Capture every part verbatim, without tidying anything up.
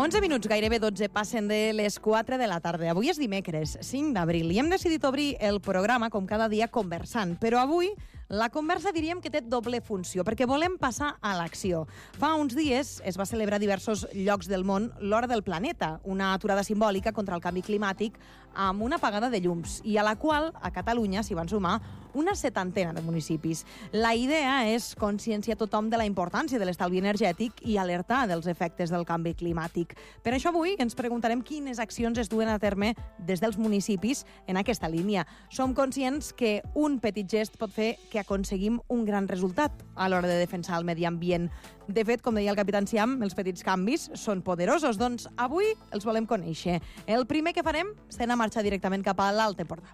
onze minuts, gairebé dotze, passen de les quatre de la tarda. Avui és dimecres, cinc d'abril, i hem decidit obrir el programa, com cada dia, conversant. Però avui la conversa diríem que té doble funció, perquè volem passar a l'acció. Fa uns dies es va celebrar a diversos llocs del món l'Hora del Planeta, una aturada simbòlica contra el canvi climàtic amb una apagada de llums, i a la qual a Catalunya s'hi van sumar una setantena de municipis. La idea és conscienciar tothom de la importància de l'estalvi energètic i alertar dels efectes del canvi climàtic. Per això avui ens preguntarem quines accions es duen a terme des dels municipis en aquesta línia. Som conscients que un petit gest pot fer que aconseguim un gran resultat a l'hora de defensar el medi ambient. De fet, com deia el capità Enciam, els petits canvis són poderosos, doncs avui els volem conèixer. El primer que farem serà marxar directament cap a l'Alt Empordà.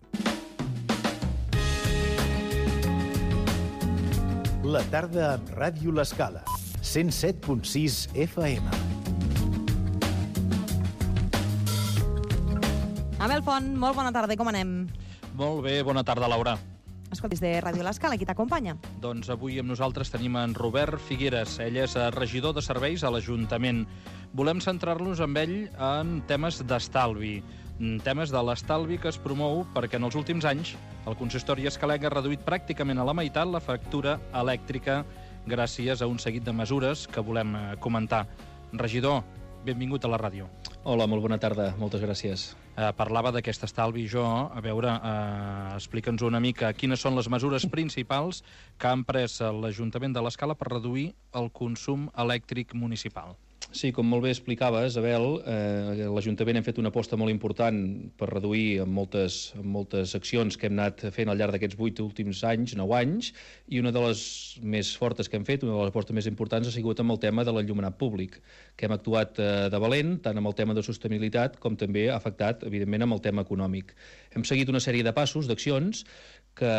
La tarda amb Ràdio L'Escala, cent set punt sis F M. Abel Font, molt bona tarda, com anem? Molt bé, bona tarda, Laura. Escoltis, de Ràdio L'Escala, qui t'acompanya? Doncs avui amb nosaltres tenim en Robert Figueres. Ell és regidor de serveis a l'Ajuntament. Volem centrar-nos amb ell en temes d'estalvi. Temes de l'estalvi que es promou perquè en els últims anys el consistori escalenc ha reduït pràcticament a la meitat la factura elèctrica gràcies a un seguit de mesures que volem comentar. Regidor, benvingut a la ràdio. Hola, molt bona tarda, moltes gràcies. Eh, parlava d'aquest estalvi jo, a veure, eh, explica'ns una mica quines són les mesures principals que ha emprès l'Ajuntament de l'Escala per reduir el consum elèctric municipal. Sí, com molt bé explicaves, Abel, eh, l'Ajuntament hem fet una aposta molt important per reduir amb moltes, amb moltes accions que hem anat fent al llarg d'aquests vuit últims anys, nou anys, i una de les més fortes que hem fet, una de les apostes més importants, ha sigut amb el tema de l'enllumenat públic, que hem actuat eh, de valent, tant amb el tema de sostenibilitat com també ha afectat, evidentment, amb el tema econòmic. Hem seguit una sèrie de passos, d'accions, que,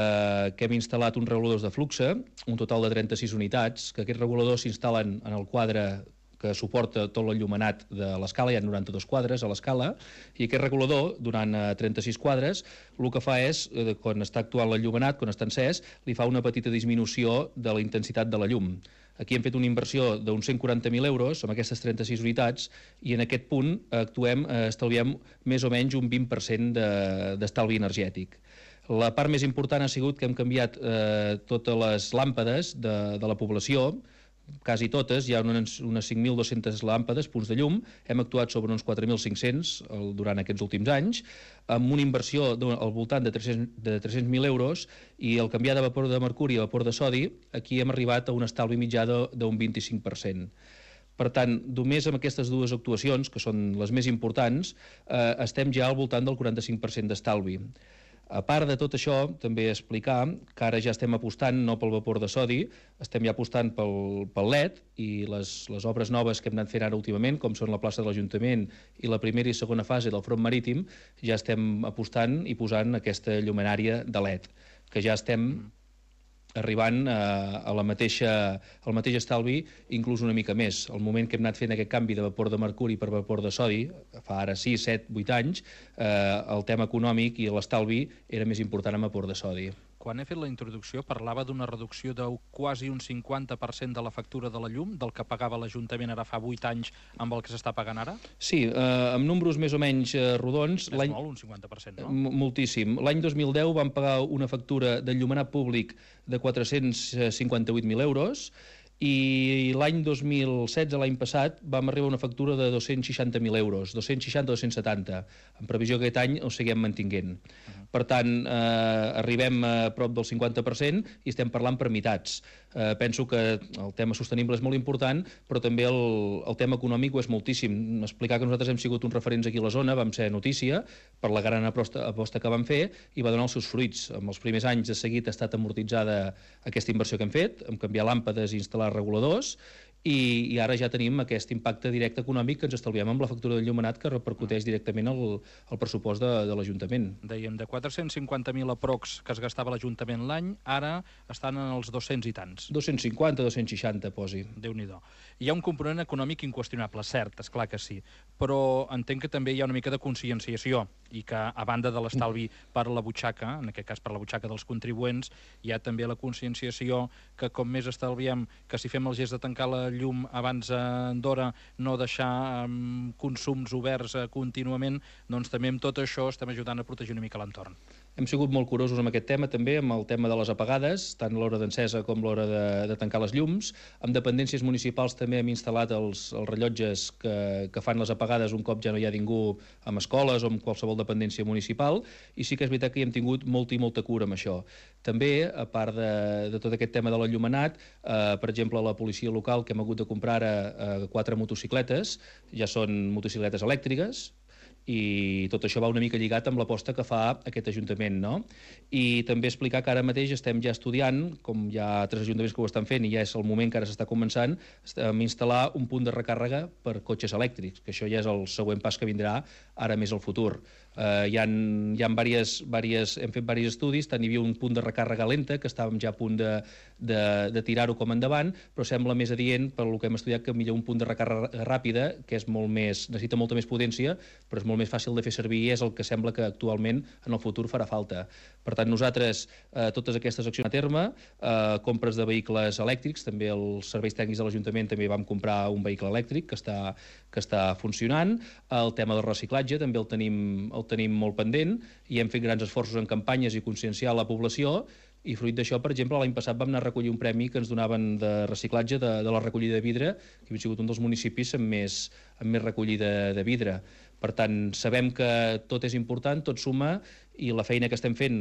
que hem instal·lat uns reguladors de flux, un total de trenta-sis unitats, que aquests reguladors s'instal·len en el quadre que suporta tot l'enllumenat de l'escala, hi ha noranta-dos quadres a l'escala, i aquest regulador, durant trenta-sis quadres, el que fa és, quan està actuant l'enllumenat, quan està encès, li fa una petita disminució de la intensitat de la llum. Aquí hem fet una inversió d'uns cent quaranta mil euros amb aquestes trenta-sis unitats i en aquest punt actuem, estalviem més o menys un vint per cent d'estalvi energètic. La part més important ha sigut que hem canviat eh, totes les làmpades de, de la població, quasi totes, hi ha unes, unes cinc mil dues-centes làmpades, punts de llum, hem actuat sobre uns quatre mil cinc-cents durant aquests últims anys, amb una inversió al voltant de tres-cents mil euros, i el canviar de vapor de mercuri a vapor de sodi, aquí hem arribat a un estalvi mitjà d'un vint-i-cinc per cent. Per tant, només amb aquestes dues actuacions, que són les més importants, eh, estem ja al voltant del quaranta-cinc per cent d'estalvi. A part de tot això, també explicar que ara ja estem apostant no pel vapor de sodi, estem ja apostant pel, pel L E D, i les, les obres noves que hem anat fent ara últimament, com són la plaça de l'Ajuntament i la primera i segona fase del front marítim, ja estem apostant i posant aquesta llumenària de L E D, que ja estem arribant a, a la mateixa, al mateix estalvi, inclús una mica més. Al moment que hem anat fent aquest canvi de vapor de mercuri per vapor de sodi, fa ara sis, set, vuit anys, eh, el tema econòmic i l'estalvi era més important amb vapor de sodi. Quan he fet la introducció parlava d'una reducció de quasi un cinquanta per cent de la factura de la llum, del que pagava l'Ajuntament ara fa vuit anys amb el que s'està pagant ara? Sí, eh, amb números més o menys eh, rodons... És molt, un cinquanta per cent, no? Moltíssim. L'any dos mil deu vam pagar una factura d'enllumenat públic de quatre-cents cinquanta-vuit mil euros, i l'any dos mil setze, l'any passat, vam arribar a una factura de dos-cents seixanta mil euros, dos-cents seixanta a dos-cents setanta, en previsió que aquest any ho seguim mantinguent. Uh-huh. Per tant, eh, arribem a prop del cinquanta per cent i estem parlant per meitats. Eh, penso que el tema sostenible és molt important, però també el, el tema econòmic ho és moltíssim. Explicar que nosaltres hem sigut uns referents aquí a la zona, vam ser notícia per la gran aposta, aposta que vam fer i va donar els seus fruits. En els primers anys de seguit ha estat amortitzada aquesta inversió que hem fet, hem canviat làmpades i instal·lar reguladors, i, i ara ja tenim aquest impacte directe econòmic que ens estalviem amb la factura d'enllumenat que repercuteix directament al, al pressupost de, de l'Ajuntament. Dèiem, de quatre-cents cinquanta mil aprox que es gastava l'Ajuntament l'any, ara estan en els dos-cents i tants. dos-cents cinquanta, dos-cents seixanta, posi. Déu-n'hi-do. Hi ha un component econòmic inqüestionable, cert, és clar que sí, però entenc que també hi ha una mica de conscienciació i que, a banda de l'estalvi per la butxaca, en aquest cas per la butxaca dels contribuents, hi ha també la conscienciació que com més estalviem, que si fem el gest de tancar la llum abans d'hora, no deixar consums oberts contínuament, doncs també amb tot això estem ajudant a protegir una mica l'entorn. Hem sigut molt curosos amb aquest tema, també, amb el tema de les apagades, tant l'hora d'encesa com l'hora de, de tancar les llums. Amb dependències municipals també hem instal·lat els, els rellotges que, que fan les apagades un cop ja no hi ha ningú amb escoles o amb qualsevol dependència municipal, i sí que és veritat que hi hem tingut molta i molta cura amb això. També, a part de, de tot aquest tema de l'enllumenat, eh, per exemple, la policia local, que hem hagut de comprar ara eh, quatre motocicletes, ja són motocicletes elèctriques, i tot això va una mica lligat amb l'aposta que fa aquest Ajuntament, no? I també explicar que ara mateix estem ja estudiant, com hi ha altres ajuntaments que ho estan fent i ja és el moment que ara s'està començant, a instal·lar un punt de recàrrega per cotxes elèctrics, que això ja és el següent pas que vindrà ara més al futur. Uh, hi ha, hi ha diverses, diverses, hem fet diversos estudis, tant hi havia un punt de recàrrega lenta, que estàvem ja a punt de, de, de tirar-ho com endavant, però sembla més adient, per el que hem estudiat, que millor un punt de recàrrega ràpida, que és molt més, necessita molta més potència, però és molt més fàcil de fer servir i és el que sembla que actualment en el futur farà falta. Per tant, nosaltres, eh, totes aquestes accions a terme, eh, compres de vehicles elèctrics, també els serveis tècnics de l'Ajuntament també vam comprar un vehicle elèctric que està, que està funcionant. El tema del reciclatge també el tenim, el tenim molt pendent i hem fet grans esforços en campanyes i conscienciar la població. I fruit d'això, per exemple, l'any passat vam anar a recollir un premi que ens donaven de reciclatge de, de la recollida de vidre, que hem sigut un dels municipis amb més, amb més recollida de vidre. Per tant, sabem que tot és important, tot suma, i la feina que estem fent,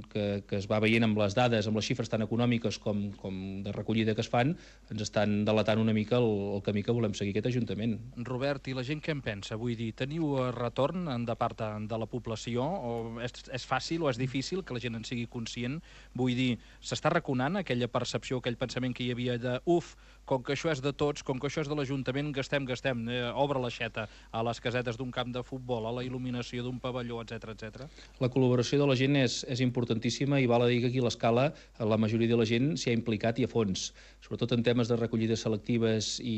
que, que es va veient amb les dades, amb les xifres tan econòmiques com, com de recollida que es fan, ens estan delatant una mica el, el camí que volem seguir aquest Ajuntament. Robert, i la gent què en pensa? Vull dir, teniu retorn de part de, de la població? O és, és fàcil o és difícil que la gent en sigui conscient? Vull dir, s'està raconant aquella percepció, aquell pensament que hi havia de uf, com que això és de tots, com que això és de l'Ajuntament, gastem, gastem, eh, obre l'aixeta a les casetes d'un camp de futbol, a la il·luminació d'un pavelló, etcètera, etcètera. La col·laboració de la gent és, és importantíssima i val a dir que aquí a l'escala la majoria de la gent s'hi ha implicat i a fons. Sobretot en temes de recollides selectives i,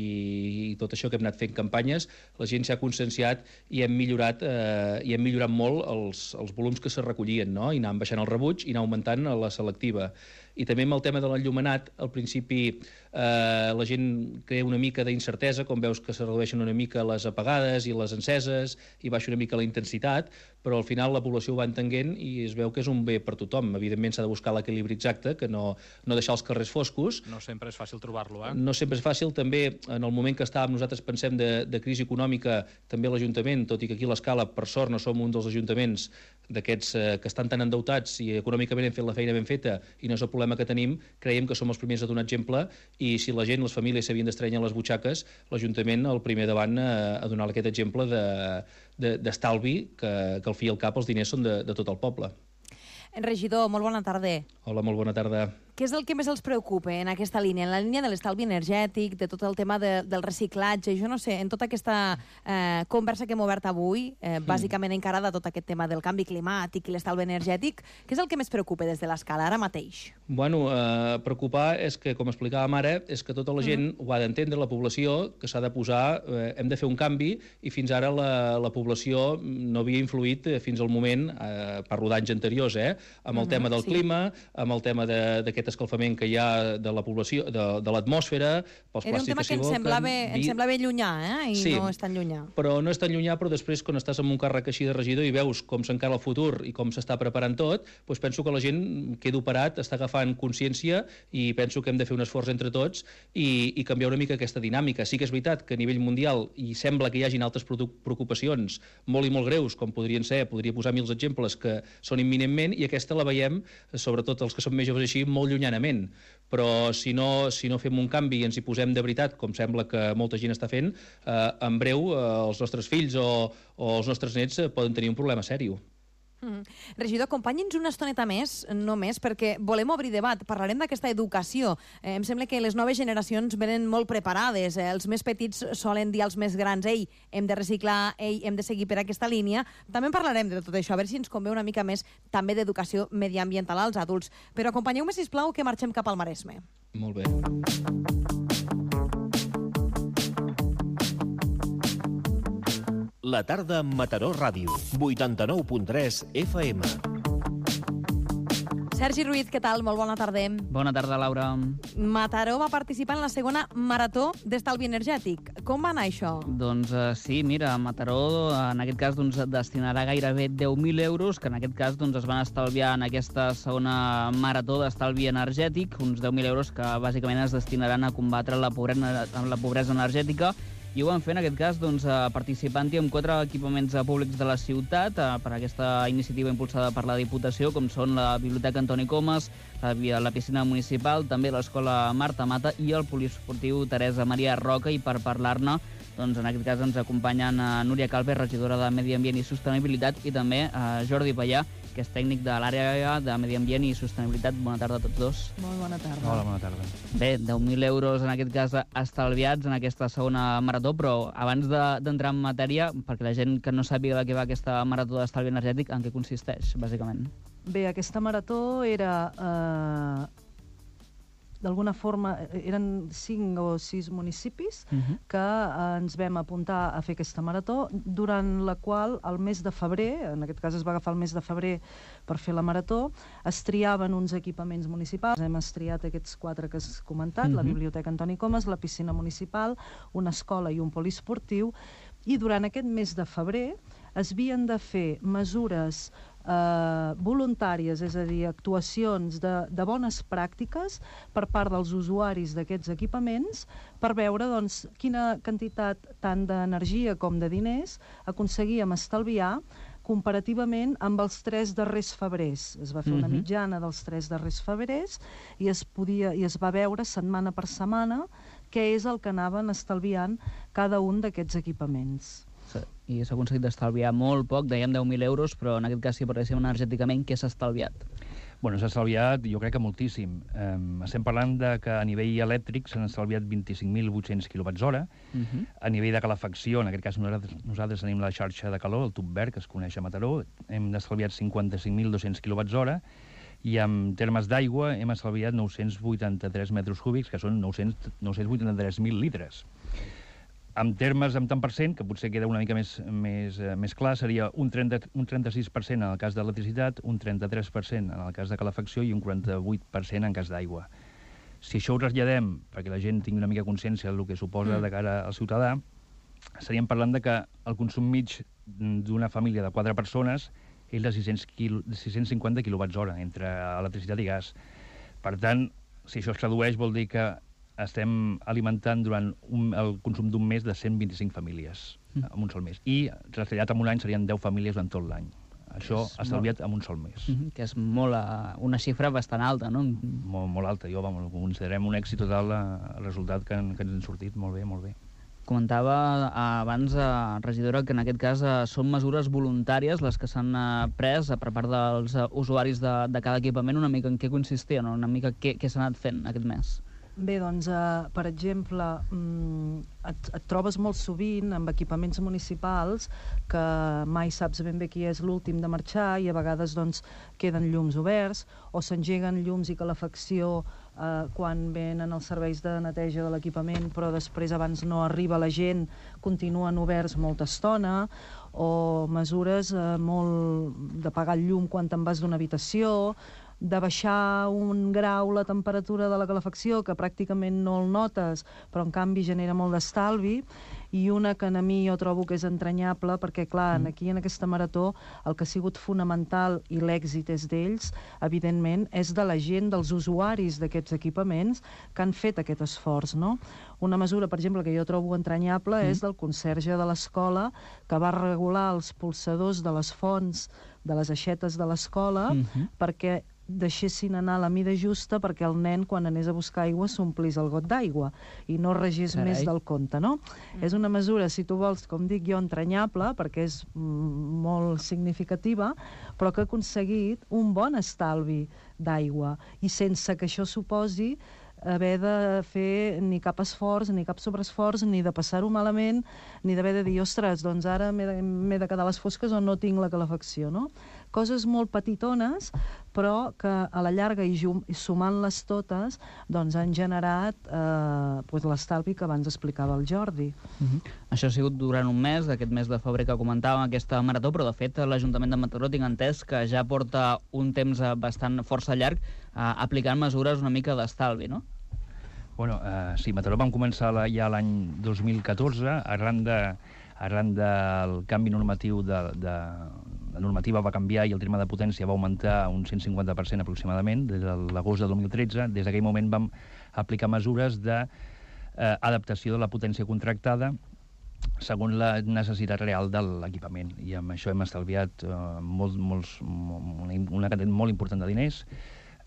i tot això que hem anat fent campanyes, la gent s'ha conscienciat i hem millorat, eh, i hem millorat molt els, els volums que se recollien, no? I anàvem baixant el rebuig i anar augmentant la selectiva. I també amb el tema de l'enllumenat, al principi eh, la gent crea una mica d'incertesa, com veus que se redueixen una mica les apagades i les enceses i baixa una mica la intensitat, però al final la població ho va entenent i es veu que és un bé per tothom. Evidentment s'ha de buscar l'equilibri exacte, que no, no deixar els carrers foscos. No sempre és fàcil trobar-lo, eh? No sempre és fàcil. També, en el moment que estàvem, nosaltres pensem de, de crisi econòmica, també l'Ajuntament, tot i que aquí a l'escala, per sort, no som un dels ajuntaments d'aquests eh, que estan tan endeutats i econòmicament hem fet la feina ben feta i no és el problema que tenim, creiem que som els primers a donar exemple i si la gent, les famílies s'havien d'estrenyar les butxaques, l'Ajuntament el primer davant a, a donar aquest exemple d'estalvi, de, de, que, que al fi i al cap els diners són de, de tot el poble. Regidor, molt bona tarda. Hola, molt bona tarda. Què és el que més els preocupa en aquesta línia? En la línia de l'estalvi energètic, de tot el tema de, del reciclatge, jo no sé, en tota aquesta eh, conversa que hem obert avui, eh, mm. bàsicament encarada a tot aquest tema del canvi climàtic i l'estalvi energètic, què és el que més preocupa des de l'escala ara mateix? Bueno, eh, preocupar és que, com explicàvem ara, és que tota la gent mm. ho ha d'entendre, la població, que s'ha de posar, eh, hem de fer un canvi, i fins ara la, la població no havia influït eh, fins al moment, eh, parlo d'anys anteriors, eh, amb el mm-hmm, tema del sí. clima, amb el tema d'aquest escalfament que hi ha de la població, de, de l'atmosfera, pels Era plàstics que s'hi Era un tema que ens semblava, vi... ens semblava llunyà, eh? I sí, no és tan llunyà. Però no és tan llunyà, però després, quan estàs en un càrrec així de regidor i veus com s'encara el futur i com s'està preparant tot, doncs penso que la gent queda operat, està agafant consciència i penso que hem de fer un esforç entre tots i, i canviar una mica aquesta dinàmica. Sí que és veritat que a nivell mundial i sembla que hi hagin altres preocupacions molt i molt greus, com podrien ser, podria posar mils exemples que són imminentment, i aquesta la veiem, sobretot els que són més joves així, molt llunyanament. Però si no, si no fem un canvi i ens hi posem de veritat, com sembla que molta gent està fent, eh, en breu eh, els nostres fills o, o els nostres nets eh, poden tenir un problema sèrio. Mm. Regidor, acompanyi'ns una estoneta més, només, perquè volem obrir debat. Parlarem d'aquesta educació. Eh, em sembla que les noves generacions venen molt preparades. Eh, els més petits solen dir als més grans ei, hem de reciclar, ei, hem de seguir per aquesta línia. També en parlarem de tot això, a veure si ens convé una mica més també d'educació mediambiental als adults. Però acompanyeu-me, sisplau, que marxem cap al Maresme. Molt bé. La tarda amb Mataró Ràdio, vuitanta-nou punt tres F M. Sergi Ruiz, què tal? Molt bona tarda. Bona tarda, Laura. Mataró va participar en la segona marató d'estalvi energètic. Com va anar això? Doncs uh, sí, mira, Mataró en aquest cas doncs, destinarà gairebé deu mil euros, que en aquest cas doncs, es van estalviar en aquesta segona marató d'estalvi energètic, uns deu mil euros que bàsicament es destinaran a combatre la pobresa, la pobresa energètica. I ho van fer, en aquest cas, doncs, participant-hi amb quatre equipaments públics de la ciutat per aquesta iniciativa impulsada per la Diputació, com són la Biblioteca Antoni Comas, la, la piscina municipal, també l'Escola Marta Mata i el poliesportiu Teresa Maria Roca. I per parlar-ne, doncs, en aquest cas ens acompanyen a Núria Calves, regidora de Medi Ambient i Sostenibilitat, i també a Jordi Pallà, que és tècnic de l'àrea de Medi Ambient i Sostenibilitat. Bona tarda a tots dos. Molt bona tarda. Hola, bona tarda. Bé, deu mil euros en aquest cas estalviats en aquesta segona marató, però abans d'entrar en matèria, perquè la gent que no sàpiga de què va aquesta marató d'estalvi energètic, en què consisteix, bàsicament? Bé, aquesta marató era... Eh, d'alguna forma, eren cinc o sis municipis uh-huh. que eh, ens vam apuntar a fer aquesta marató, durant la qual el mes de febrer, en aquest cas es va agafar el mes de febrer per fer la marató, es triaven uns equipaments municipals. Hem estriat aquests quatre que has comentat, uh-huh. la Biblioteca Antoni Comas, la piscina municipal, una escola i un poliesportiu, i durant aquest mes de febrer es havien de fer mesures eh, voluntàries, és a dir, actuacions de, de bones pràctiques per part dels usuaris d'aquests equipaments per veure doncs, quina quantitat tant d'energia com de diners aconseguíem estalviar comparativament amb els tres darrers febrers. Es va fer una mitjana dels tres darrers febrers i es, podia, i es va veure setmana per setmana què és el que anaven estalviant cada un d'aquests equipaments. I s'ha aconseguit d'estalviar molt poc, dèiem deu mil euros, però en aquest cas, si parléssim energèticament, què s'ha estalviat? Bueno, s'ha estalviat, jo crec que moltíssim. Um, estem parlant de que a nivell elèctric s'han estalviat vint-i-cinc mil vuit-cents quilowatts hora. Uh-huh. A nivell de calefacció, en aquest cas nosaltres, nosaltres tenim la xarxa de calor, el tub verd, que es coneix a Mataró, hem estalviat cinquanta-cinc mil dos-cents quilowatts hora, i en termes d'aigua hem estalviat nou-cents vuitanta-tres metres cúbics, que són nou-cents vuitanta-tres mil litres. En termes amb tant per cent, que potser queda una mica més, més, més clar, seria un, trenta, un trenta-sis per cent en el cas d'electricitat, un trenta-tres per cent en el cas de calefacció i un quaranta-vuit per cent en cas d'aigua. Si això ho traslladem, perquè la gent tingui una mica consciència del que suposa de cara al ciutadà, estaríem parlant de que el consum mig d'una família de quatre persones és de sis-cents cinquanta quilowatts hora entre electricitat i gas. Per tant, si això es tradueix, vol dir que estem alimentant durant un, el consum d'un mes de cent vint-i-cinc famílies mm. en un sol mes. I trasllat en un any serien deu famílies durant tot l'any. Això estalviat molt... en un sol mes. Mm -hmm, que és molt, uh, una xifra bastant alta, no? Molt, molt alta. Jo, vamos, considerem un èxit total el resultat que, que ens han sortit. Molt bé, molt bé. Comentava abans, eh, regidora, que en aquest cas eh, són mesures voluntàries les que s'han eh, pres eh, per part dels eh, usuaris de, de cada equipament. Una mica en què consistien, una mica què, què s'ha anat fent aquest mes? Bé, doncs, eh, per exemple, et, et trobes molt sovint amb equipaments municipals que mai saps ben bé qui és l'últim de marxar i a vegades doncs, queden llums oberts o s'engeguen llums i calefacció eh, quan venen els serveis de neteja de l'equipament, però després, abans no arriba la gent, continuen oberts molta estona, o mesures eh, molt d'apagar el llum quan te'n vas d'una habitació, de baixar un grau la temperatura de la calefacció, que pràcticament no el notes, però en canvi genera molt d'estalvi, i una que a mi jo trobo que és entranyable, perquè clar, aquí en aquesta marató el que ha sigut fonamental, i l'èxit és d'ells, evidentment, és de la gent, dels usuaris d'aquests equipaments que han fet aquest esforç, no? Una mesura, per exemple, que jo trobo entranyable mm. és del conserge de l'escola, que va regular els polsadors de les fonts, de les aixetes de l'escola, mm-hmm. perquè deixessin anar a la mida justa perquè el nen, quan anés a buscar aigua, s'omplís el got d'aigua i no regés Carai. més del compte, no? Mm. És una mesura, si tu vols, com dic jo, entranyable, perquè és mm, molt significativa, però que ha aconseguit un bon estalvi d'aigua i sense que això suposi haver de fer ni cap esforç, ni cap sobreesforç, ni de passar-ho malament, ni d'haver de dir, ostres, doncs ara m'he de, m'he de quedar a les fosques o no tinc la calefacció, no? coses molt petitones, però que a la llarga i sumant-les totes doncs han generat eh, doncs l'estalvi que abans explicava el Jordi. Uh-huh. Això ha sigut durant un mes, aquest mes de febrer que comentàvem, aquesta marató, però de fet l'Ajuntament de Mataró tinc entès que ja porta un temps bastant força llarg eh, aplicant mesures una mica d'estalvi, no? Bueno, eh, sí, Mataró vam començar la, ja l'any dos mil catorze, arran, de, arran del canvi normatiu de, de, la normativa va canviar i el terme de potència va augmentar un cent cinquanta per cent aproximadament des de l'agost de dos mil tretze. Des d'aquell moment vam aplicar mesures d'adaptació de, eh, de la potència contractada segons la necessitat real de l'equipament. I amb això hem estalviat eh, molt, molts, una, una quantitat molt important de diners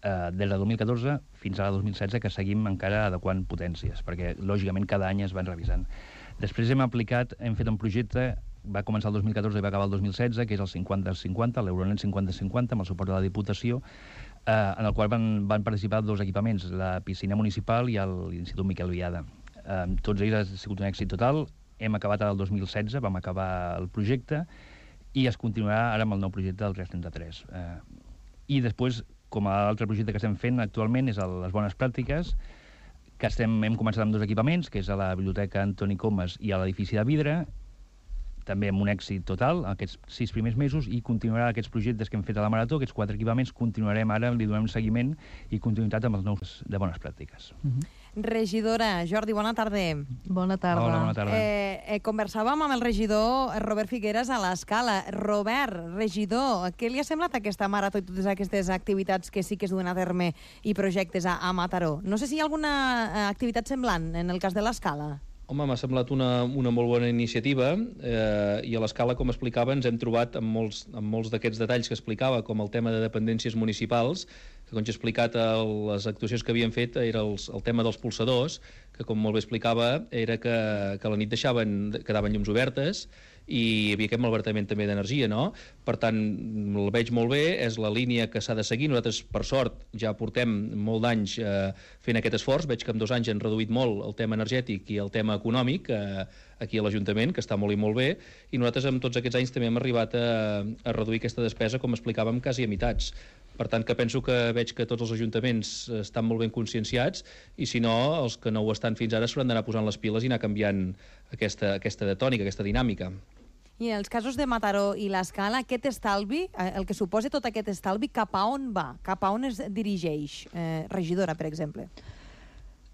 eh, des de dos mil catorze fins a dos mil setze, que seguim encara adequant potències, perquè lògicament cada any es van revisant. Després hem aplicat, hem fet un projecte, va començar el dos mil catorze i va acabar el dos mil setze, que és el cinquanta cinquanta, l'Euronet cinquanta cinquanta, amb el suport de la Diputació, eh, en el qual van, van participar dos equipaments, la piscina municipal i l'Institut Miquel Viada. Eh, tots ells ha sigut un èxit total. Hem acabat el dos mil setze, vam acabar el projecte, i es continuarà ara amb el nou projecte del tres trenta-tres. Eh, I després, com a altre projecte que estem fent actualment, és el, les bones pràctiques, que estem, hem començat amb dos equipaments, que és a la Biblioteca Antoni Comas i a l'edifici de Vidre, també amb un èxit total, aquests sis primers mesos, i continuarà aquests projectes que hem fet a la Marató, aquests quatre equipaments, continuarem ara, li donem seguiment i continuïtat amb els nous de bones pràctiques. Uh-huh. Regidora, Jordi, bona tarda. Bona tarda. Hola, bona tarda. Eh, eh, conversàvem amb el regidor Robert Figueras a l'Escala. Robert, regidor, què li ha semblat aquesta marató i totes aquestes activitats que sí que es duen a terme i projectes a, a Mataró? No sé si hi ha alguna activitat semblant en el cas de l'Escala. Home, m'ha semblat una, una molt bona iniciativa eh, i a l'Escala, com explicava, ens hem trobat amb molts, amb molts d'aquests detalls que explicava, com el tema de dependències municipals, que, com ja he explicat, el, les actuacions que havien fet era els, el tema dels polsadors, que, com molt bé explicava, era que, que a la nit deixaven, quedaven llums obertes i hi havia aquest malbaratament també d'energia, no? Per tant, el veig molt bé, és la línia que s'ha de seguir. Nosaltres, per sort, ja portem molt d'anys eh, fent aquest esforç. Veig que en dos anys han reduït molt el tema energètic i el tema econòmic eh, aquí a l'Ajuntament, que està molt i molt bé, i nosaltres amb tots aquests anys també hem arribat a, a reduir aquesta despesa, com explicàvem, quasi a meitats. Per tant, que penso que veig que tots els ajuntaments estan molt ben conscienciats i, si no, els que no ho estan fins ara s'hauran d'anar posant les piles i anar canviant aquesta, aquesta tònica, aquesta dinàmica. I en els casos de Mataró i l'Escala, aquest estalvi, el que suposa tot aquest estalvi, cap a on va? Cap a on es dirigeix? Eh, regidora, per exemple.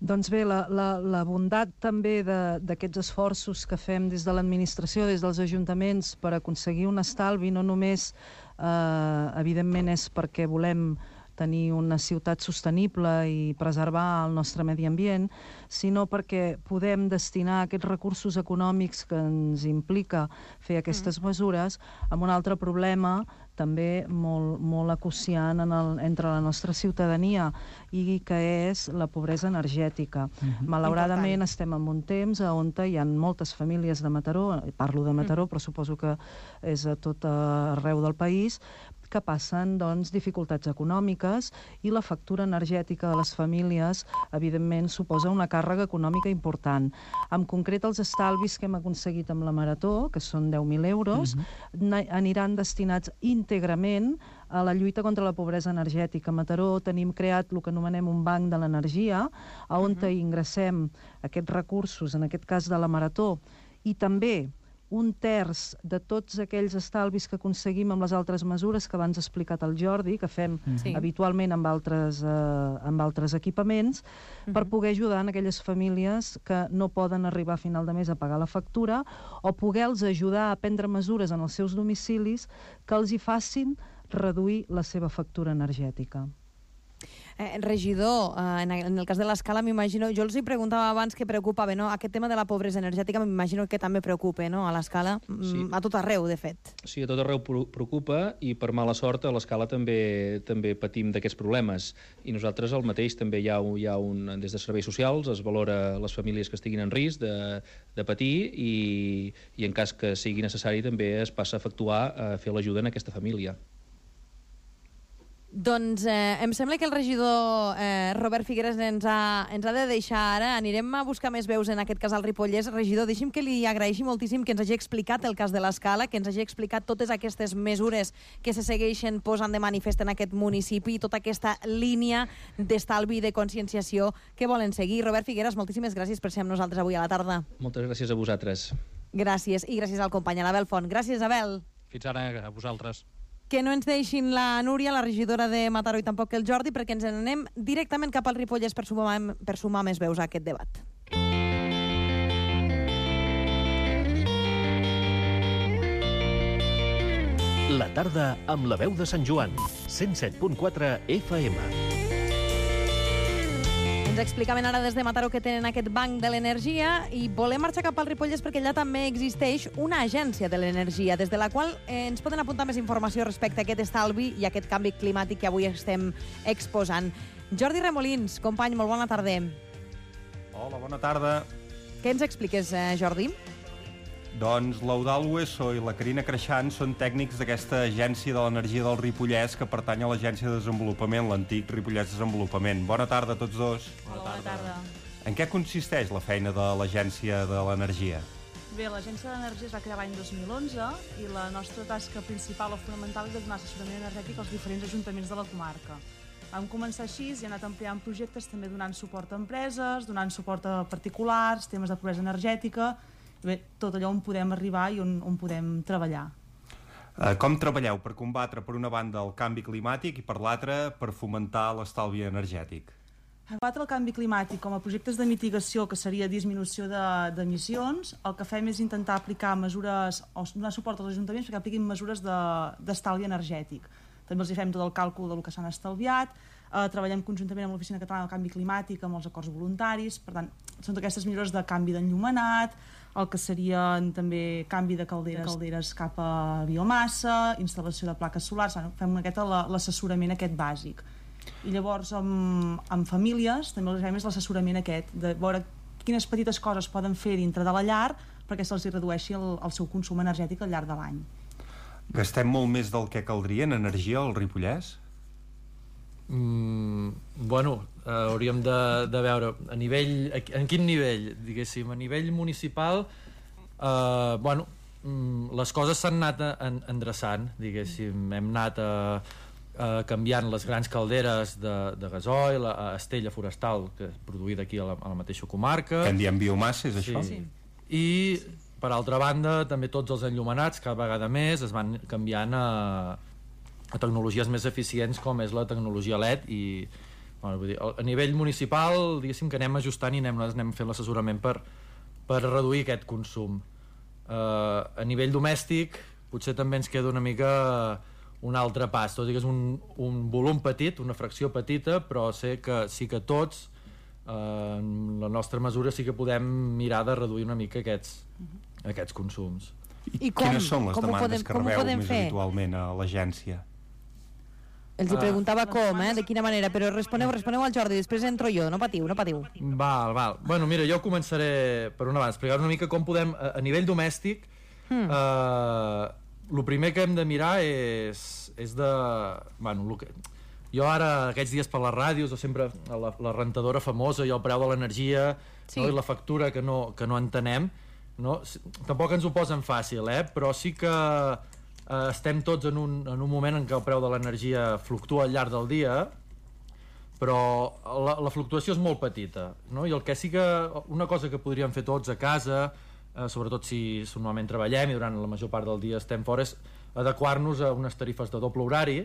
Doncs bé, la, la, la bondat també d'aquests esforços que fem des de l'administració, des dels ajuntaments, per aconseguir un estalvi, no només, eh, evidentment, és perquè volem tenir una ciutat sostenible i preservar el nostre medi ambient, sinó perquè podem destinar aquests recursos econòmics que ens implica fer aquestes mm. mesures amb un altre problema també molt, molt acuciant en el, entre la nostra ciutadania, i que és la pobresa energètica. Mm-hmm. Malauradament Important. Estem en un temps on hi ha moltes famílies de Mataró, parlo de Mataró, mm. però suposo que és a tot arreu del país, que passen doncs, dificultats econòmiques, i la factura energètica de les famílies, evidentment, suposa una càrrega econòmica important. En concret, els estalvis que hem aconseguit amb la Marató, que són deu mil euros, mm-hmm. aniran destinats íntegrament a la lluita contra la pobresa energètica. A Mataró tenim creat el que anomenem un banc de l'energia, on uh-huh. ingressem aquests recursos, en aquest cas de la Marató, i també un terç de tots aquells estalvis que aconseguim amb les altres mesures que abans ha explicat el Jordi, que fem sí. habitualment amb altres, eh, amb altres equipaments, uh-huh. per poder ajudar en aquelles famílies que no poden arribar a final de mes a pagar la factura, o poder-los ajudar a prendre mesures en els seus domicilis que els hi facin reduir la seva factura energètica. Eh, regidor, eh, en el cas de l'Escala, m'imagino, jo els hi preguntava abans què preocupava, no? Aquest tema de la pobresa energètica m'imagino que també preocupa, no? A l'Escala, sí. a tot arreu, de fet. Sí, a tot arreu preocupa, i per mala sort a l'Escala també també patim d'aquests problemes. I nosaltres el mateix, també hi ha, hi ha un, des de serveis socials, es valora les famílies que estiguin en risc de, de patir, i, i en cas que sigui necessari també es passa a efectuar, a fer l'ajuda en aquesta família. Doncs eh, em sembla que el regidor eh, Robert Figueres ens ha, ens ha de deixar ara. Anirem a buscar més veus, en aquest cas al Ripollès. Regidor, deixi'm que li agraeixi moltíssim que ens hagi explicat el cas de l'Escala, que ens hagi explicat totes aquestes mesures que se segueixen posant de manifest en aquest municipi i tota aquesta línia d'estalvi i de conscienciació que volen seguir. Robert Figueres, moltíssimes gràcies per ser amb nosaltres avui a la tarda. Moltes gràcies a vosaltres. Gràcies, i gràcies al company, a l'Abel Font. Gràcies, Abel. Fins ara, a vosaltres. Que no ens deixin la Núria, la regidora de Mataró, i tampoc el Jordi, perquè ens n'anem directament cap al Ripollès per sumar, per sumar més veus a aquest debat. La tarda amb la veu de Sant Joan. cent set punt quatre F M. Ens explicaven ara des de Mataró que tenen aquest banc de l'energia i volem marxar cap al Ripollès perquè allà també existeix una agència de l'energia des de la qual eh, ens poden apuntar més informació respecte a aquest estalvi i a aquest canvi climàtic que avui estem exposant. Jordi Remolins, company, molt bona tarda. Hola, bona tarda. Què ens expliques, eh, Jordi? Doncs l'Eudal Hueso i la Carina Creixant són tècnics d'aquesta agència de l'energia del Ripollès que pertany a l'Agència de Desenvolupament, l'antic Ripollès Desenvolupament. Bona tarda a tots dos. Bona tarda. Bona tarda. En què consisteix la feina de l'Agència de l'Energia? Bé, l'Agència de l'Energia es va crear l'any dos mil onze i la nostra tasca principal o fonamental és de donar assessorament energètic als diferents ajuntaments de la comarca. Vam començar així i hem anat ampliant projectes, també donant suport a empreses, donant suport a particulars, temes de pobresa energètica. Bé, tot allò on podem arribar i on, on podem treballar. Uh, com treballeu per combatre, per una banda, el canvi climàtic i per l'altra, per fomentar l'estalvi energètic? Combatre el canvi climàtic com a projectes de mitigació, que seria disminució d'emissions, de, el que fem és intentar aplicar mesures, o donar suport als ajuntaments perquè apliquin mesures d'estalvi de, energètic. També els hi fem tot el càlcul del que s'han estalviat, eh, treballem conjuntament amb l'Oficina Catalana del Canvi Climàtic, amb els acords voluntaris, per tant, són aquestes millores de canvi d'enllumenat, el que serien també canvi de calderes, de calderes cap a biomassa, instal·lació de plaques solars, fem l'assessorament aquest bàsic. I llavors amb, amb famílies també el que fem és l'assessorament aquest, de veure quines petites coses poden fer dintre de la llar perquè se'ls redueixi el, el seu consum energètic al llarg de l'any. Gastem molt més del que caldria en energia al Ripollès? Mm, bueno, eh, hauríem de, de veure a nivell, en quin nivell, diguéssim, a nivell municipal, eh, bueno, mm, les coses s'han anat en, endreçant, diguéssim, hem anat a, a canviant les grans calderes de, de gasoil a estella forestal, que és produïda aquí a la, a la mateixa comarca. Que en diem biomassa, és això? Sí. I, per altra banda, també tots els enllumenats, cada vegada més, es van canviant a a tecnologies més eficients com és la tecnologia L E D i bueno, vull dir, a nivell municipal diguéssim que anem ajustant i anem, anem fent l'assessorament per, per reduir aquest consum. Uh, a nivell domèstic potser també ens queda una mica un altre pas, tot i que és un, un volum petit, una fracció petita, però sé que sí que tots uh, en la nostra mesura sí que podem mirar de reduir una mica aquests, uh-huh. aquests consums. I, I com? Quines són les com demandes podem, que rebeu més fer? Habitualment a l'agència? Els hi preguntava uh, com, eh, de quina manera, però responeu, responeu al Jordi, després entro jo, no patiu, no patiu. Val, val. Bueno, mira, jo començaré per una banda, explicar una mica com podem, a, a nivell domèstic, hmm. eh, el primer que hem de mirar és, és de... Bueno, lo que, jo ara, aquests dies per les ràdios, o sempre la, la rentadora famosa i el preu de l'energia, sí. no, i la factura que no, que no entenem, no? Tampoc ens ho posen fàcil, eh? Però sí que eh, estem tots en un, en un moment en què el preu de l'energia fluctua al llarg del dia, però la, la fluctuació és molt petita, no? I el que sí que una cosa que podríem fer tots a casa, eh, sobretot si normalment treballem i durant la major part del dia estem fora, és adequar-nos a unes tarifes de doble horari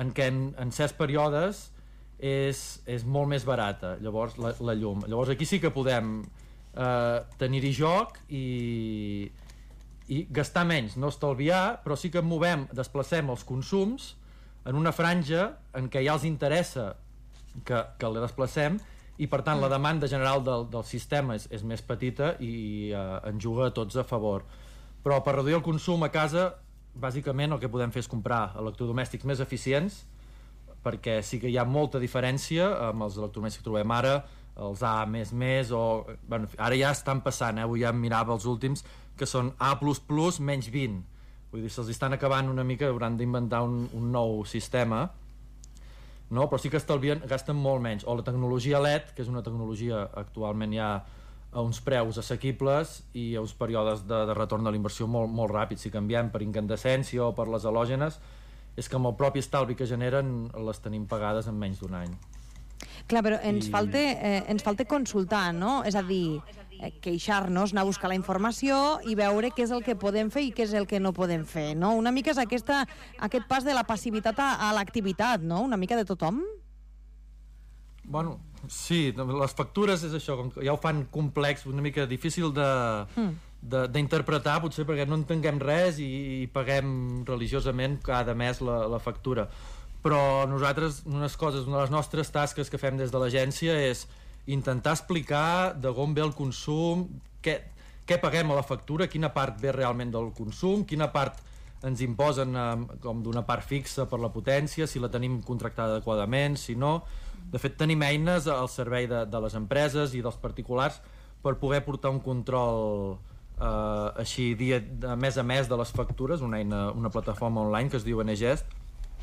en què en, en certs períodes és, és molt més barata, llavors la, la llum. Llavors aquí sí que podem Uh, tenir-hi joc i, i gastar menys, no estalviar, però sí que movem, desplacem els consums en una franja en què ja els interessa que, que la desplacem i per tant la demanda general del, del sistema és, és més petita i uh, ens juga a tots a favor. Però per reduir el consum a casa bàsicament el que podem fer és comprar electrodomèstics més eficients, perquè sí que hi ha molta diferència amb els electrodomèstics que trobem ara, els A més més, o... Bueno, ara ja estan passant, eh? Avui ja mirava els últims, que són A plus plus menys vint. Vull dir, se'ls estan acabant una mica, hauran d'inventar un, un nou sistema. no? Però sí que estalvien, gasten molt menys. O la tecnologia L E D, que és una tecnologia actualment ja a uns preus assequibles i a uns períodes de, de retorn de la inversió molt, molt ràpids. Si canviem per incandescència o per les halògenes, és que amb el propi estalvi que generen les tenim pagades en menys d'un any. Clar, però ens, I... falta, eh, ens falta consultar, no? És a dir, eh, queixar-nos, anar a buscar la informació i veure què és el que podem fer i què és el que no podem fer, no? Una mica és aquesta, aquest pas de la passivitat a, a l'activitat, no? Una mica de tothom? Bueno, sí, les factures és això, com que ja ho fan complex, una mica difícil de... Mm. d'interpretar, potser perquè no entenguem res i, i paguem religiosament cada mes la, la factura. Però nosaltres, unes coses, una de les nostres tasques que fem des de l'agència és intentar explicar d'on ve el consum, què, què paguem a la factura, quina part ve realment del consum, quina part ens imposen eh, com d'una part fixa per la potència, si la tenim contractada adequadament, si no. De fet, tenim eines al servei de, de les empreses i dels particulars per poder portar un control Uh, així dia, de mes a mes de les factures, una eina, una plataforma online que es diu Enegest.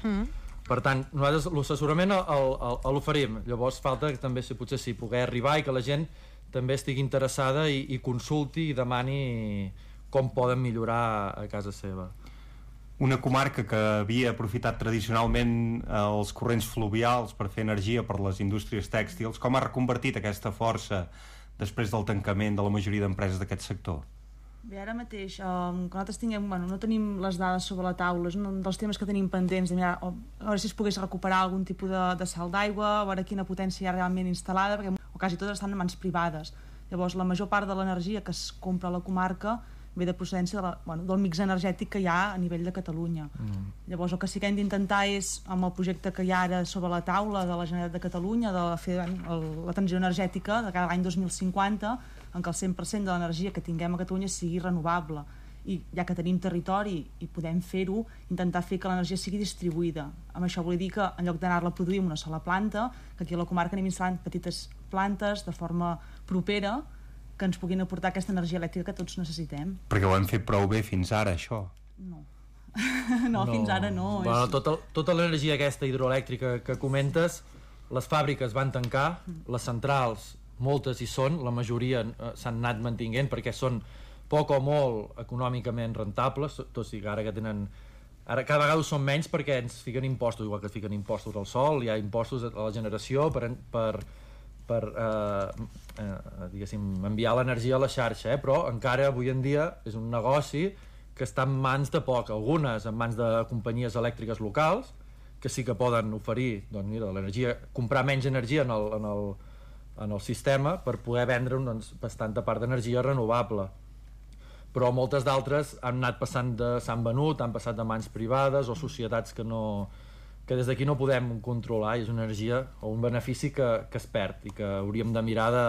Mm. Per tant, nosaltres l'assessorament l'oferim, llavors falta que també si potser sí, poder arribar i que la gent també estigui interessada i, i consulti i demani com poden millorar a casa seva. Una comarca que havia aprofitat tradicionalment els corrents fluvials per fer energia per les indústries tèxtils, com ha reconvertit aquesta força després del tancament de la majoria d'empreses d'aquest sector? Bé, ara mateix, um, que nosaltres tinguem, bueno, no tenim les dades sobre la taula, és un dels temes que tenim pendents, de mirar, o, a veure si es pogués recuperar algun tipus de, de salt d'aigua, a veure quina potència hi ha realment instal·lada, perquè o quasi totes estan en mans privades. Llavors, la major part de l'energia que es compra a la comarca ve de procedència de la, bueno, del mix energètic que hi ha a nivell de Catalunya. Mm. Llavors, el que sí que hem d'intentar és, amb el projecte que hi ha ara sobre la taula de la Generalitat de Catalunya, de fer el, la transició energètica de cada any dos mil cinquanta, en què el cent per cent de l'energia que tinguem a Catalunya sigui renovable. I ja que tenim territori i podem fer-ho, intentar fer que l'energia sigui distribuïda. Amb això vull dir que en lloc d'anar-la a produir en una sola planta, que aquí a la comarca anem instal·lant petites plantes de forma propera que ens puguin aportar aquesta energia elèctrica que tots necessitem. Perquè ho hem fet prou bé fins ara, això. No. no, no, fins ara no. Bueno, és... tota, tota l'energia aquesta hidroelèctrica que comentes, les fàbriques van tancar, les centrals moltes hi són, la majoria eh, s'han anat mantinguent perquè són poc o molt econòmicament rentables, tot i que ara que tenen ara cada vegada ho són menys perquè ens fiquen impostos, igual que es fiquen impostos al sol, hi ha impostos a la generació per, per, per eh, eh, diguéssim, enviar l'energia a la xarxa, eh? Però encara avui en dia és un negoci que està en mans de poc, algunes en mans de companyies elèctriques locals que sí que poden oferir, doncs mira, l'energia, comprar menys energia en el, en el en el sistema per poder vendre doncs, bastanta part d'energia renovable. Però moltes d'altres han anat passant de, s'han venut, han passat de mans privades o societats que, no, que des d'aquí no podem controlar, i és una energia o un benefici que, que es perd i que hauríem de mirar de,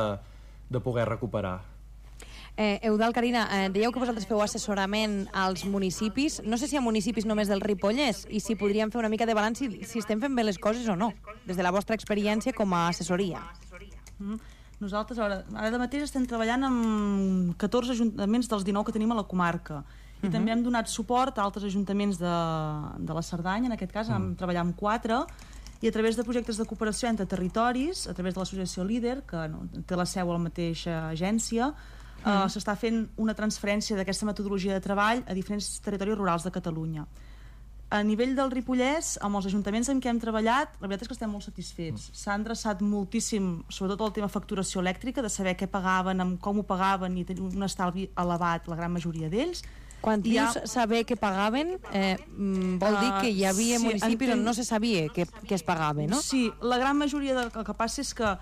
de poder recuperar. Eh, Eudald, Carina, eh, dèieu que vosaltres feu assessorament als municipis. No sé si a municipis només del Ripollès i si podríem fer una mica de balanç si, si estem fent bé les coses o no, des de la vostra experiència com a assessoria. Mm. Nosaltres ara, ara mateix estem treballant amb catorze ajuntaments dels dinou que tenim a la comarca i uh-huh. també hem donat suport a altres ajuntaments de, de la Cerdanya, en aquest cas vam uh-huh. treballar amb quatre i a través de projectes de cooperació entre territoris, a través de l'associació Líder, que no, té la seu a la mateixa agència, uh-huh. eh, s'està fent una transferència d'aquesta metodologia de treball a diferents territoris rurals de Catalunya. A nivell del Ripollès, amb els ajuntaments amb què hem treballat, la veritat és que estem molt satisfets. S'ha endreçat moltíssim, sobretot el tema facturació elèctrica, de saber què pagaven, amb com ho pagaven i tenir un estalvi elevat, la gran majoria d'ells. Quan dius ha... saber què pagaven, eh, vol dir que hi havia uh, sí, municipis entenc... on no se sabia què, què es pagava, no? Sí, la gran majoria, de, el que passa és que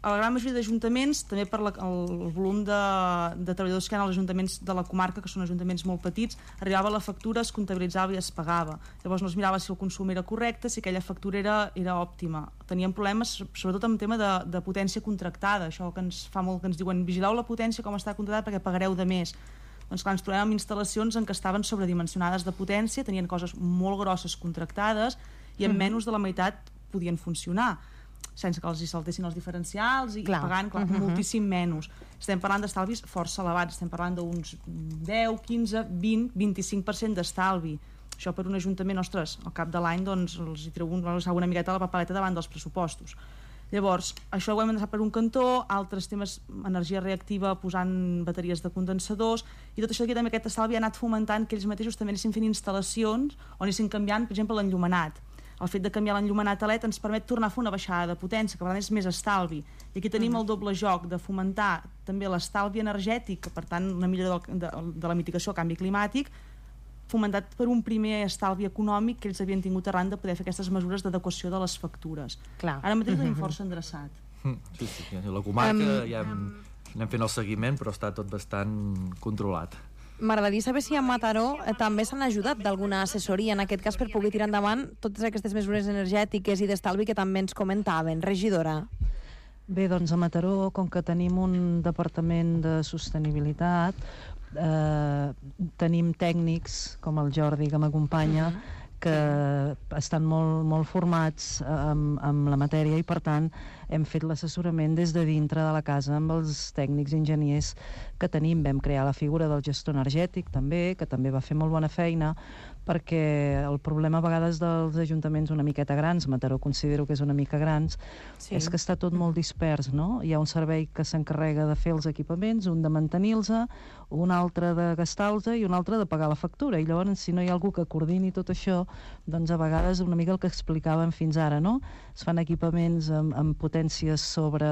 a la gran majoria d'ajuntaments, també per la, el volum de, de treballadors que hi ha als ajuntaments de la comarca, que són ajuntaments molt petits, arribava la factura, es comptabilitzava i es pagava. Llavors no es mirava si el consum era correcte, si aquella factura era, era òptima. Teníem problemes, sobretot amb tema de, de potència contractada, això que ens fa molt que ens diuen vigileu la potència com està contractada perquè pagareu de més. Doncs clar, ens trobem amb instal·lacions en què estaven sobredimensionades de potència, tenien coses molt grosses contractades i en mm. menys de la meitat podien funcionar, sense que els hi saltessin els diferencials i clar. pagant clar, uh-huh. moltíssim menys. Estem parlant d'estalvis força elevats, estem parlant d'uns deu, quinze, vint, vint-i-cinc per cent d'estalvi. Això per un ajuntament, ostres, al cap de l'any doncs, els hi treu un, una miqueta la papeleta davant dels pressupostos. Llavors, això ho hem de deixar per un cantó, altres temes, energia reactiva posant bateries de condensadors, i tot això aquí també aquest estalvi ha anat fomentant que ells mateixos també anessin fent instal·lacions o anessin canviant, per exemple, l'enllumenat. El fet de canviar l'enllumenat a L E D ens permet tornar a fer una baixada de potència, que per tant és més estalvi. I aquí tenim el doble joc de fomentar també l'estalvi energètic, per tant una millora de, de, de la mitigació al canvi climàtic, fomentat per un primer estalvi econòmic que ells havien tingut arran de poder fer aquestes mesures d'adequació de les factures. Clar. Ara mateix tenim força endreçat. Sí, sí, la comarca um, ja hem, anem fent el seguiment, però està tot bastant controlat. M'agradaria saber si a Mataró eh, també s'han ajudat d'alguna assessoria, en aquest cas, per poder tirar endavant totes aquestes mesures energètiques i d'estalvi que també ens comentaven. Regidora. Bé, doncs a Mataró, com que tenim un departament de sostenibilitat, eh, tenim tècnics, com el Jordi, que m'acompanya, que estan molt, molt formats amb, amb la matèria i, per tant, hem fet l'assessorament des de dintre de la casa amb els tècnics i enginyers que tenim. Vam crear la figura del gestor energètic, també, que també va fer molt bona feina, perquè el problema a vegades dels ajuntaments una miqueta grans, Mataró considero que és una mica grans, sí. és que està tot molt dispers, no? Hi ha un servei que s'encarrega de fer els equipaments, un de mantenir-los, un altre de gastar-los i un altre de pagar la factura, i llavors si no hi ha algú que coordini tot això, doncs a vegades una mica el que explicàvem fins ara, no? Es fan equipaments amb, amb potències sobre,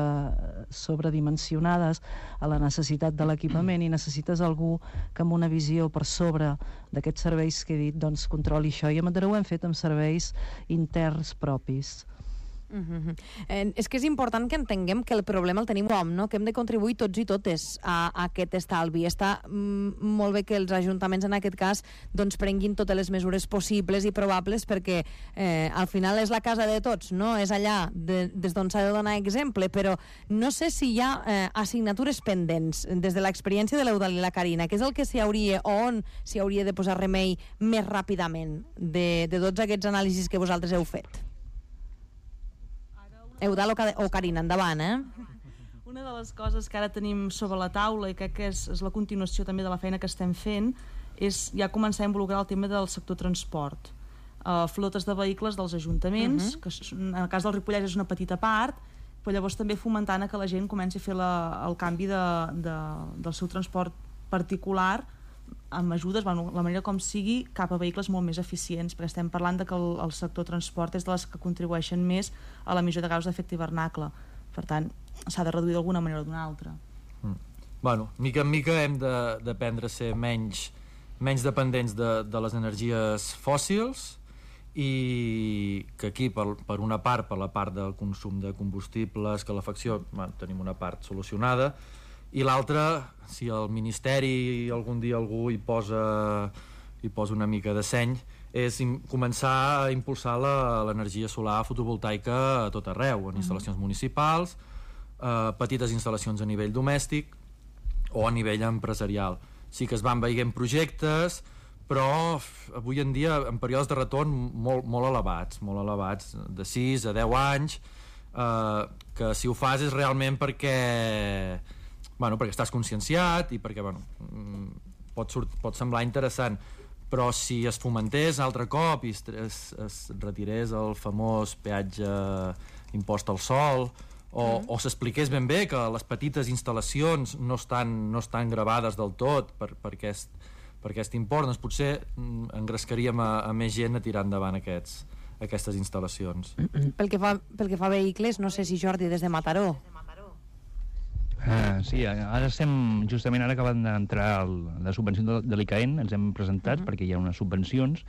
sobredimensionades a la necessitat de l'equipament i necessites algú que amb una visió per sobre d'aquests serveis que he dit doncs controli això, i a Mataró ho hem fet amb serveis interns propis. Uh-huh. eh, és que és important que entenguem que el problema el tenim com, no? Que hem de contribuir tots i totes a, a aquest estalvi. Està mm, molt bé que els ajuntaments en aquest cas doncs prenguin totes les mesures possibles i probables, perquè eh, al final és la casa de tots, no? És allà de, des d'on s'ha de donar exemple, però no sé si hi ha eh, assignatures pendents des de l'experiència de l'Eudal i la Carina, que és el que s'hi hauria, o on s'hi hauria de posar remei més ràpidament de, de tots aquests anàlisis que vosaltres heu fet. Eudal o Carina, endavant, eh? Una de les coses que ara tenim sobre la taula i crec que és, és la continuació també de la feina que estem fent és ja començar a involucrar el tema del sector transport. Uh, flotes de vehicles dels ajuntaments, uh-huh. que en el cas del Ripollès és una petita part, però llavors també fomentant que la gent comenci a fer la, el canvi de, de, del seu transport particular amb ajudes, bueno, la manera com sigui, cap a vehicles molt més eficients, perquè estem parlant de que el, el sector transport és de les que contribueixen més a l'emissió de gasos d'efecte hivernacle. Per tant, s'ha de reduir d'alguna manera o d'una altra. Mm. Bueno, mica en mica hem d'aprendre a ser menys, menys dependents de, de les energies fòssils, i que aquí, per, per una part, per la part del consum de combustibles, calefacció, bueno, tenim una part solucionada, i l'altra, si el Ministeri algun dia algú hi posa, hi posa una mica de seny, és començar a impulsar l'energia solar fotovoltaica a tot arreu, en instal·lacions municipals, eh, petites instal·lacions a nivell domèstic o a nivell empresarial. Sí que es van veient projectes, però avui en dia en períodes de retorn molt, molt elevats, molt elevats, de sis a deu anys, eh, que si ho fas és realment perquè... Bueno, perquè estàs conscienciat i perquè bueno, pot, surt, pot semblar interessant, però si es fomentés altre cop i es, es, es retirés el famós peatge impost al sol, o, mm. o s'expliqués ben bé que les petites instal·lacions no estan, no estan gravades del tot per, per, aquest, per aquest import, doncs potser engrescaríem a, a més gent a tirar endavant aquests, aquestes instal·lacions. Pel que fa, pel que fa a vehicles, no sé si Jordi des de Mataró. Uh, sí, ara estem justament ara acabant d'entrar la subvenció de, de l'I C A E N, ens hem presentat uh-huh. perquè hi ha unes subvencions,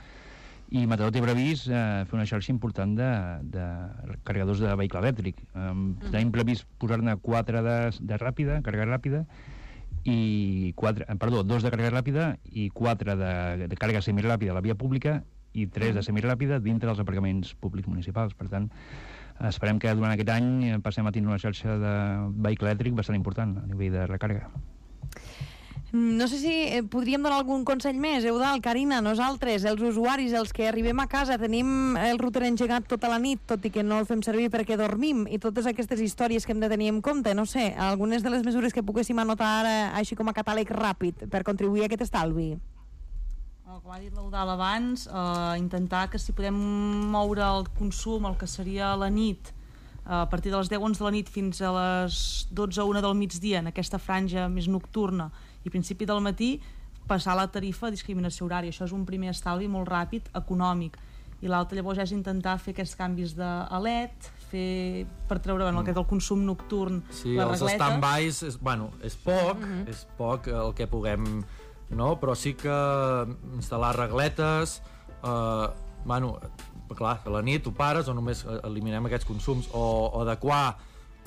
i Mataró té previst uh, fer una xarxa important de, de carregadors de vehicle elèctric. Um, uh-huh. Tenim previst posar-ne quatre de, de ràpida, càrrega ràpida, i quatre, perdó, dos de càrrega ràpida i quatre de, de càrrega semiràpida a la via pública i tres uh-huh. de semiràpida dintre dels aparcaments públics municipals. Per tant, esperem que durant aquest any passem a tenir una xarxa de vehicle elèctric bastant important a nivell de recàrrega. No sé si podríem donar algun consell més, Eudal, Carina, nosaltres, els usuaris, els que arribem a casa, tenim el router engegat tota la nit, tot i que no el fem servir perquè dormim, i totes aquestes històries que hem de tenir en compte, no sé, algunes de les mesures que poguéssim anotar així com a catàleg ràpid per contribuir a aquest estalvi. Com ha dit l'Eudal abans, eh, intentar que si podem moure el consum, el que seria la nit, eh, a partir de les deu onze de la nit fins a les dotze o una del migdia, en aquesta franja més nocturna i principi del matí, passar la tarifa a discriminació horària. Això és un primer estalvi molt ràpid, econòmic. I l'altre llavors és intentar fer aquests canvis de a L E D, fer, per treure bueno, mm. el consum nocturn, sí, la els regleta. stand-bys, és, bueno, és poc, mm -hmm. és poc el que puguem, no? Però sí que instal·lar regletes, eh, bueno, clar, a la nit ho pares o només eliminem aquests consums, o, o adequar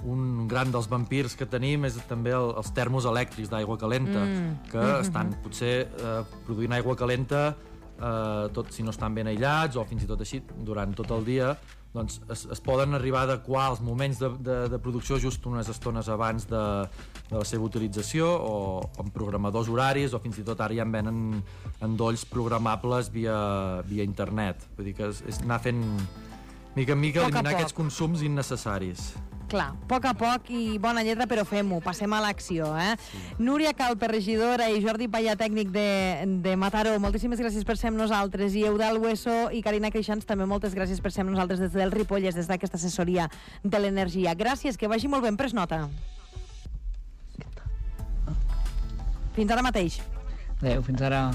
un gran dels vampirs que tenim és també el, els termos elèctrics d'aigua calenta, mm. que mm-hmm. estan potser eh, produint aigua calenta eh, tot, si no estan ben aïllats o fins i tot així durant tot el dia, doncs es, es poden arribar a adequar els moments de, de, de producció just unes estones abans de, de la seva utilització, o amb programadors horaris, o fins i tot ara ja en venen endolls programables via, via internet. Vull dir que és, és anar fent mica en mica, eliminar aquests consums innecessaris. Clar, a poc a poc i bona lletra, però fem-ho, passem a l'acció, eh? Sí. Núria Calpe, regidora, i Jordi Paya, tècnic de, de Mataró, moltíssimes gràcies per ser amb nosaltres, i Eudal Hueso i Carina Creixans, també moltes gràcies per ser amb nosaltres des del Ripollès, des d'aquesta assessoria de l'energia. Gràcies, que vagi molt ben, pres nota. Fins ara mateix. Adéu, fins ara.